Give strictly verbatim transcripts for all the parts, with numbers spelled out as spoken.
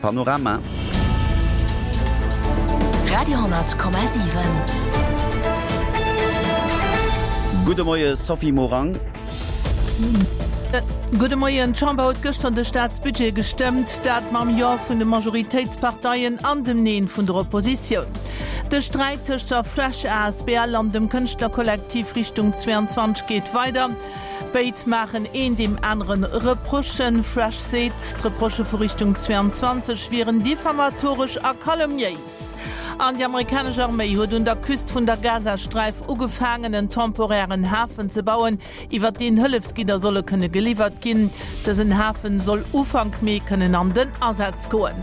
Panorama. Radio honnert Komma siwen. Gudde Moie Sophie Morang. Gudde Moien. D'Chamber huet gëschter de Staatsbudget gestëmmt, dat mam Jo vun de Majoritéitsparteien an dem Neen vun der Oppositioun. De Sträit tëscht der Fresh asbl an dem Kënschtlerkollektiv Richtung zweiundzwanzeg geet weider. Béid maachen een deem anere Reprochen. Fresh seet, d'Reprochë vu Richtung zweiundzwanzeg wieren diffamatoresch a kalumniéis. An déi amerikanesch Arméi huet un der Küst vun der Gazasträif ugefaangen, en temporären Hafen ze bauen, iwwer deen Hëllefsgidder solle kënne geliwwert ginn. Dësen Hafen soll Ufank Mee kënnen an den Asaz goen.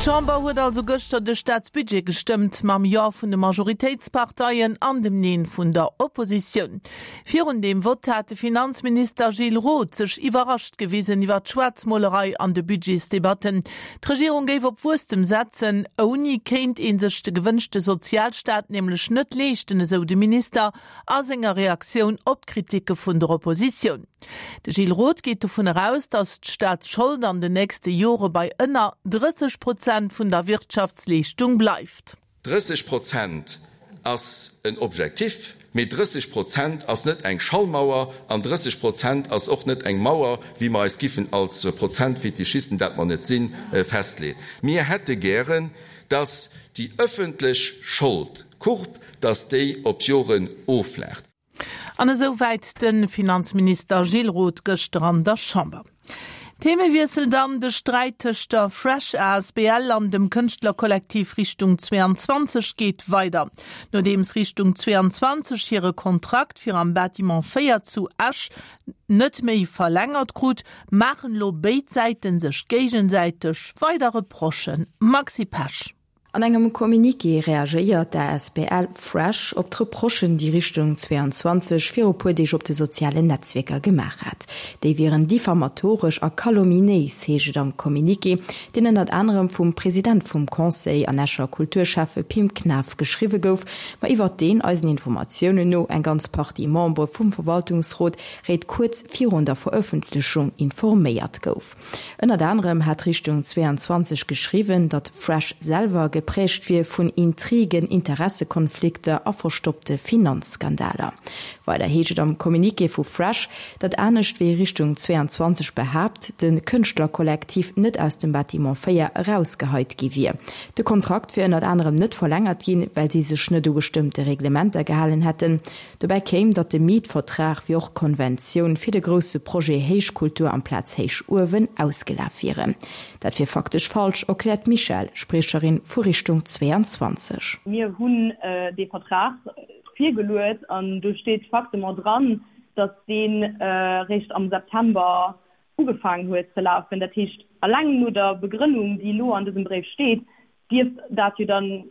D'Chamber huet also gëschter de Staatsbudget gestëmmt, mam Jo vun de Majoritéitsparteien an dem Neen vun der Oppositioun. Virun deem Vott hat de Finanzminister Gilles Roth sech iwwerrascht gewisen iwwer d'Schwaarzmolerei an de Budgetsdebatten. D'Regierung géif op Wuesstem setzen, ouni kéint ee sech de gewënschte Sozialstaat nämlech net leeschten, esou de Minister a senger Reaktioun op d'Kriticke vun der Oppositioun. De Gilles Roth geet dovun eraus, datt d'Staatsschold an den nächste Jore bei ënner drësseg Prozent vun der Wirtschaftsleeschtung bleift. Drësseg Prozent ass en Objectif, mee drësseg Prozent ass net eng Schallmauer an drësseg Prozent ass och net eng Mauer, wéi mer eis giffen als Prozentfetischisten, dat mer net sinn, festleeën. Mir hätte gären, datt déi ëffentlech Schold, d'Courbe, datt déi op Joren offlaacht. An esou wäit de Finanzminister Gilles Roth gëschter an der Chamber. Themewiessel dann, De Sträit tëscht der Fresh asbl an dem Kënschtlerkollektiv Richtung zweiundzwanzeg geet weider. Nodeems Richtung zweiundzwanzeg hire Kontrakt fir am Bâtiment véier zu Esch net méi verlängert krut, maachen elo béid Säiten sech géigesäiteg weider Reprochen. Maxi Pesch. An engem Communiqué reagéiert d'ASBL Fresh op d'Reprochen, déi Richtung zweiundzwanzeg viru puer Deeg op de sozialen Netzwierker gemaach hat. Déi wieren diffamatoresch a calomniéis, heescht et am Communiqué, deen ënnert anerem vum President vum Conseil an Escher Kulturschäffe Pim Knaff geschriwwe gouf, ma iwwert deen eisen Informatiounen no eng ganz Partie Membere vum Verwaltungsrot réit kuerz virun der Verëffentlechung informéiert gouf. Ënnert anerem hat Richtung zweiundzwanzeg geschriwwen, datt Fresh selwer geprägt wier vun Intrigen, Interessekonflikter a verstoppte Finanzskandaler. Weider heescht et am Communiqué vu Fresh, datt anescht wéi Richtung zweiundzwanzeg behaapt, de Kënschtlerkollektiv net aus dem Bâtiment véier erausgeheit gi wier. De Kontrakt wier ënnert anerem net verlängert ginn, well si sech net u bestëmmte Reglementer gehalen hätten. Dobäi kéim, datt de Mietvertrag wéi och d'Konventioun fir de grousse Projet Héichkultur amplaz Héichuewen ausgelaf wieren. Dat wier faktesch falsch, erkläert d'Michèle, Spriecherin vu Richtung zweiundzwanzeg. Mir hunn dee Vertrag virgeluet an do steet faktement dran, datt deen réischt am September ugefaangen huet ze lafen. Dat heescht, alleng no der Begrënnung, déi elo an dësem Bréif steet, dierft dat jo dann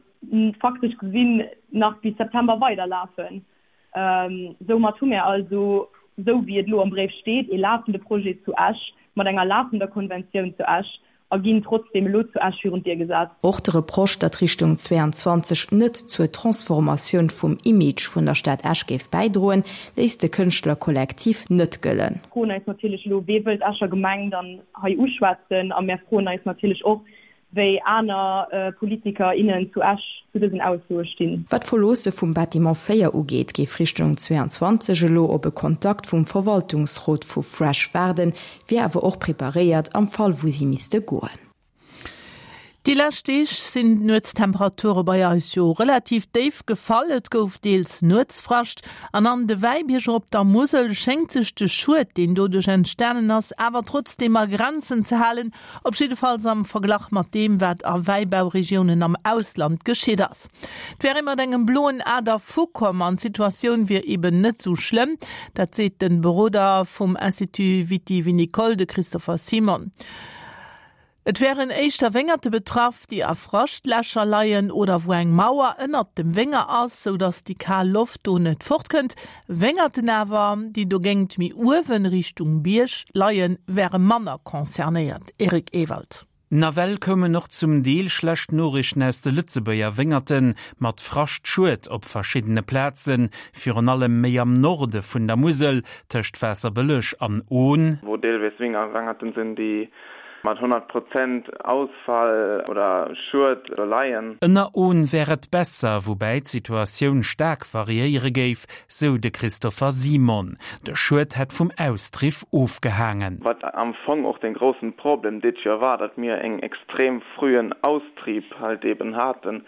faktesch gesinn nach bis September weiderlafen. Soumat hu mir also, esou wéi et elo am Bréif steet, ee lafende Projet zu Esch mat enger lafender Konventioun zu Esch a ginn trotzdeem elo zu Esch virun d'Dier gesat. Och de Reproche, datt Richtung zweiundzwanzeg net zur Transformatioun vum Image vun der Stad Esch géif bäidroen, léisst de Kënschtlerkollektiv net gëllen. Mir froen eis natierlech elo, Wee wëll d'Escher Gemeng dann hei uschwätzen? A mir froen eis natierlech och, wéi aner Politiker, innen zu Esch zu dësen Aussoe stinn. Wat d'Verloosse vum Bâtiment véier ugeet, géif Richtung zweiundzwanzeg elo op e Kontakt vum Verwaltungsrot vu Fresh waarden, wier awer och preparéiert am Fall wou si misste goen. Déi lescht Deeg sinn d'Nuetstemperature bei eis jo relativ déif gefall. Et gouf deels Nuetsfrascht an an de Wäibierger op der Musel schéngt sech de Schued, deen doduerch entstanen ass, awer trotzdeem a Grenzen ze halen, op jiddefalls am Verglach mat deem, wat a Wäibauregiounen am Ausland geschitt ass. Et wär ee mat engem bloen A dervukomm an d'Situatioun wier eben net sou schlëmm. Dat seet de Beroder vum Institut Viti-Vinicole, de Christopher Simon. Et wären éischter Wéngerte betraff, déi a Fraschtlächer leien oder wou eng Mauer ënnert dem Wénger ass, sou datt déi kal Loft do net fortkënnt. Wéngerten awer, déi dogéint méi uewen, Richtung Bierg leien, wäre manner concernéiert. Eric Ewald. Nawell koumen och zum Deel schlecht Noriichten aus de Lëtzebuerger Wéngerten, mat Frascht-Schued op verschiddene Plazen, virun allem méi am Norde vun der Musel, tëscht Waasserbëlleg an Ohn. Wou deelweis Wéngerten sinn, déi mat honnert Prozent Ausfall oder Schued do leien. Ënner Ohn wär et besser, woubäi d'Situatioun staark variéiere géif, sou de Christopher Simon. De Schued hätt vum Austriff ofgehaangen. Wat am Fong och den groussen Problem dit Joer war, datt mir eng extrem frühen Austrieb halt eben haten.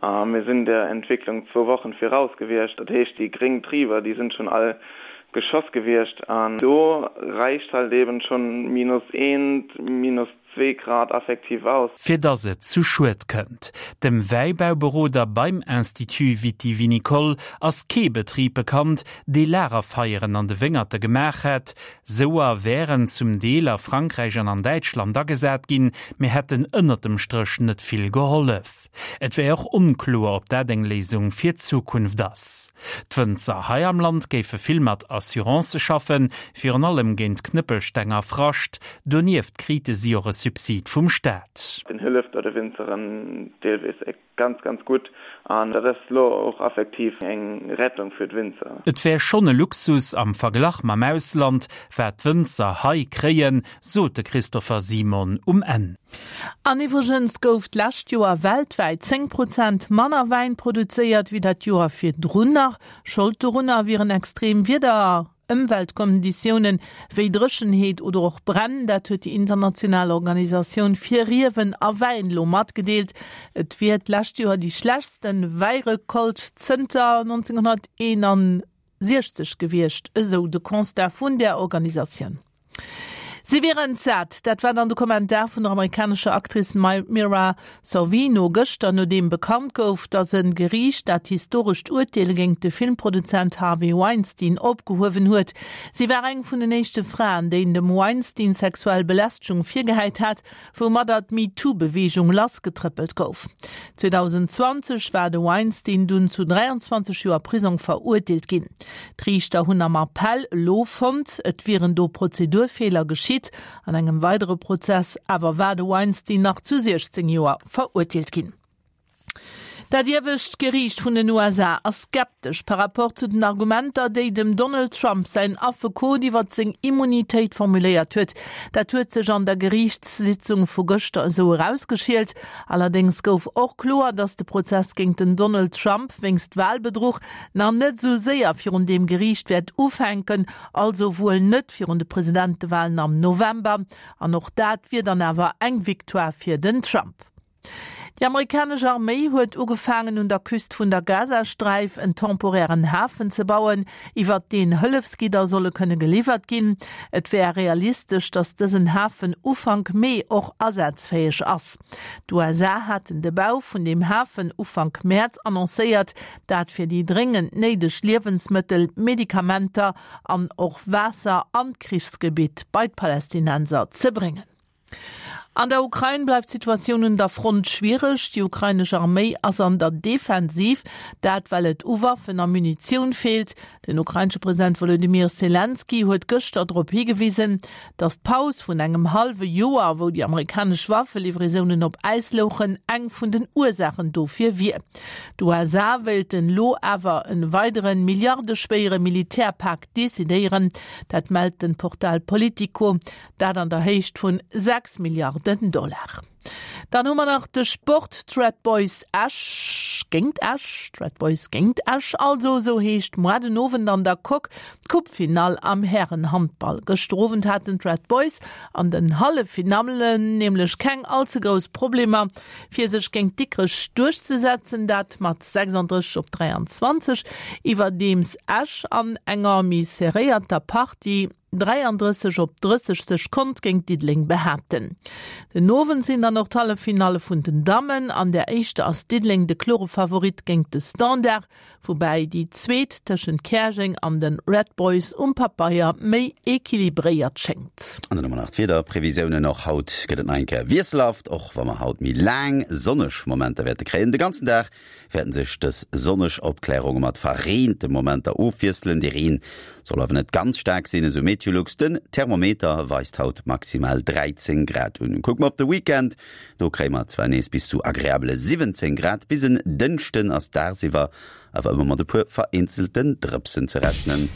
Mir sinn der Entwicklung zwou Wochen viraus gewiescht. Dat heescht, déi gréng Triber, déi sinn schonn all geschoss gewiescht. An do reicht halt eben schonn minus eent, minus zwee Grad effektiv aus. Fir dass et zu Schued kënnt. Dem Wäibauberoder beim Institut Viti-Vinicole ass kee Betrib bekannt, dee Lagerfeieren an de Wéngerte gemaach hätt. Souer wären zum Deel a Frankräich an an Däitschland agesat ginn, mee hätten ënnert dem Stréch net vill gehollef. Et wär och onkloer, ob dat eng Léisung fir d'Zukunft ass. D'Wënzer hei am Land géife vill mat Assurancë schaffen, virun allem géint Knëppelsteng a Frascht. Donieft krite si och e Subsid vum Staat. Den hëlleft der de Winzeren deelweis ganz, ganz gutt an dat ass lo och effektiv eng Rettung fir d'Winzer. Et wär schonn e Luxus am Verglach mam Ausland, wat d'Wënzer hei kréien, sot de Christopher Simon um Enn. An iwwregens gouf d'lescht Joer weltwäit zéng Prozent manner Wäin produzéiert wéi dat Joer virdrun nach. Schold dorunner wieren extrem Wieder Ëmweltkonditiounen wéi Dréchenheet oder och Bränn. Dat huet déi international Organisatioun fir Riewen a Wäin elo matgedeelt. Et wier d'lescht Joer déi schlechtste Wäirecolte zënter nonzénghonnerteenansiechzeg gewiescht, esou de Constat vun där Organisatioun. Si wier entsat. Dat war dann de Kommentar vun der amerikanescher Actrice Mira Sorvino gëschter, nodeem bekannt gouf, datt e Geriicht dat historescht Urteel géingt de Filmproduzent Harvey Weinstein opgehuewen huet. Si war eng vun den éischte Fraen, déi dem Weinstein sexuell Belästegung virgehäit hat, woumadder d'MeToo-Beweegung lassgetrëppelt gouf. zweedausendzwanzeg war de Weinstein dunn zu dräianzwanzeg Joer Prisong verurteelt ginn. D'Riichter hunn am Appell elo fonnt, et wieren do Prozedurfeeler geschitt. An engem weidere Prozess awer war de Weinstein nach zu siechzéng Joer verurteelt ginn. Dat iewescht Geriicht vun den U S A ass skeptesch par rapport zu den Argumenter, déi dem Donald Trump säin Affekot iwwert seng Immunitéit formuléiert huet. Dat huet sech an der Geriichtssitzung vu gëschter esou erausgeschielt. Allerdéngs gouf och kloer, datt de Prozess géint den Donald Trump wéinst Walbedruch nach net esou séier virun deem Geriicht wäert ufänken, also wuel net virun de Presidentewalen am November. An och dat wier dann awer eng Victoire fir den Trump. Déi amerikanesch Arméi huet ugefaangen un der Küst vun der Gazasträif en temporären Hafen ze bauen, iwwert deen Hëllefsgidder solle kënne geliwwert ginn. Et wär realistesch, datt dësen Hafen Ufank Mee och asazfäeg ass. D'U S A haten de Bau vun deem Hafen Ufank Mäerz annoncéiert, dat fir déi dréngend néideg Liewensmëttel, Medikamenter an och Waasser an d'Krichsgebitt bei d'Palästinenser ze bréngen. An der Ukrain bleift d'Situatioun un der Front schwiereg. Déi ukrainesch Arméi ass an der Defensiv, dat well et u Waffen a Munitioun feelt. Den ukrainesche President Wolodymyr Selenskyj huet gëschter drop higewisen, datt d'Paus vun engem hallwe Joer, wou déi amerikanesch Waffelivraisonen op Äis louchen, eng vun den Ursaachen dofir wier. D'U S A wéilten elo awer e weidere milliardeschwéiere Militärpak decidéieren, dat mellt de Portal Politico. Dat an der Héicht vun sechs Milliarden Dollar. Dann hu mer nach de Sport, D'Red Boys Esch géingt Esch, d'Red Boys géingt Esch also, esou heescht muar den Owend an der Coque d'Coupefinall am Härenhandball. Gëschter Owend haten d'Red Boys an den Halleffinallen nämlech keng all ze grouss Problemer fir sech géingt Dikrech duerchzesetzen, dat mat sechsanddrësseg op dräianzwanzeg, iwwerdeems Esch an enger méi serréierter Partie dräiandrësseg op drësseg sech konnt géint Diddeleng behaapten. Den Owend sinn dann och d'Halleffinalle vun den Dammen. An der éischter ass Diddeleng de klore Favorit géint de Standard, woubäi déi zweet tëschent Käerjeng an de Red Boys um Pabeier méi equilibréiert schéngt. An dann hu mer nach d'Wiederprevisiounen. Och haut gëtt et nach eng Kéier wiesselhaft, och wa mer haut méi laang sonneg Momenter wäerte kréien. De ganzen Dag wäerten sech dës sonneg Opklärunge mat verreente Momenter ofwiesselen. De Reen soll awer net ganz staark sinn, esou Meteolux. Den Thermometer weist haut maximal dräizéng Grad un. Kucke mer op de Weekend, do kréie mer zwar nees bis zu agreabele siwwenzéng Grad, bis en Dënschden ass dagsiwwer awer ëmmer mat e puer vereenzelten Drëpsen ze rechnen.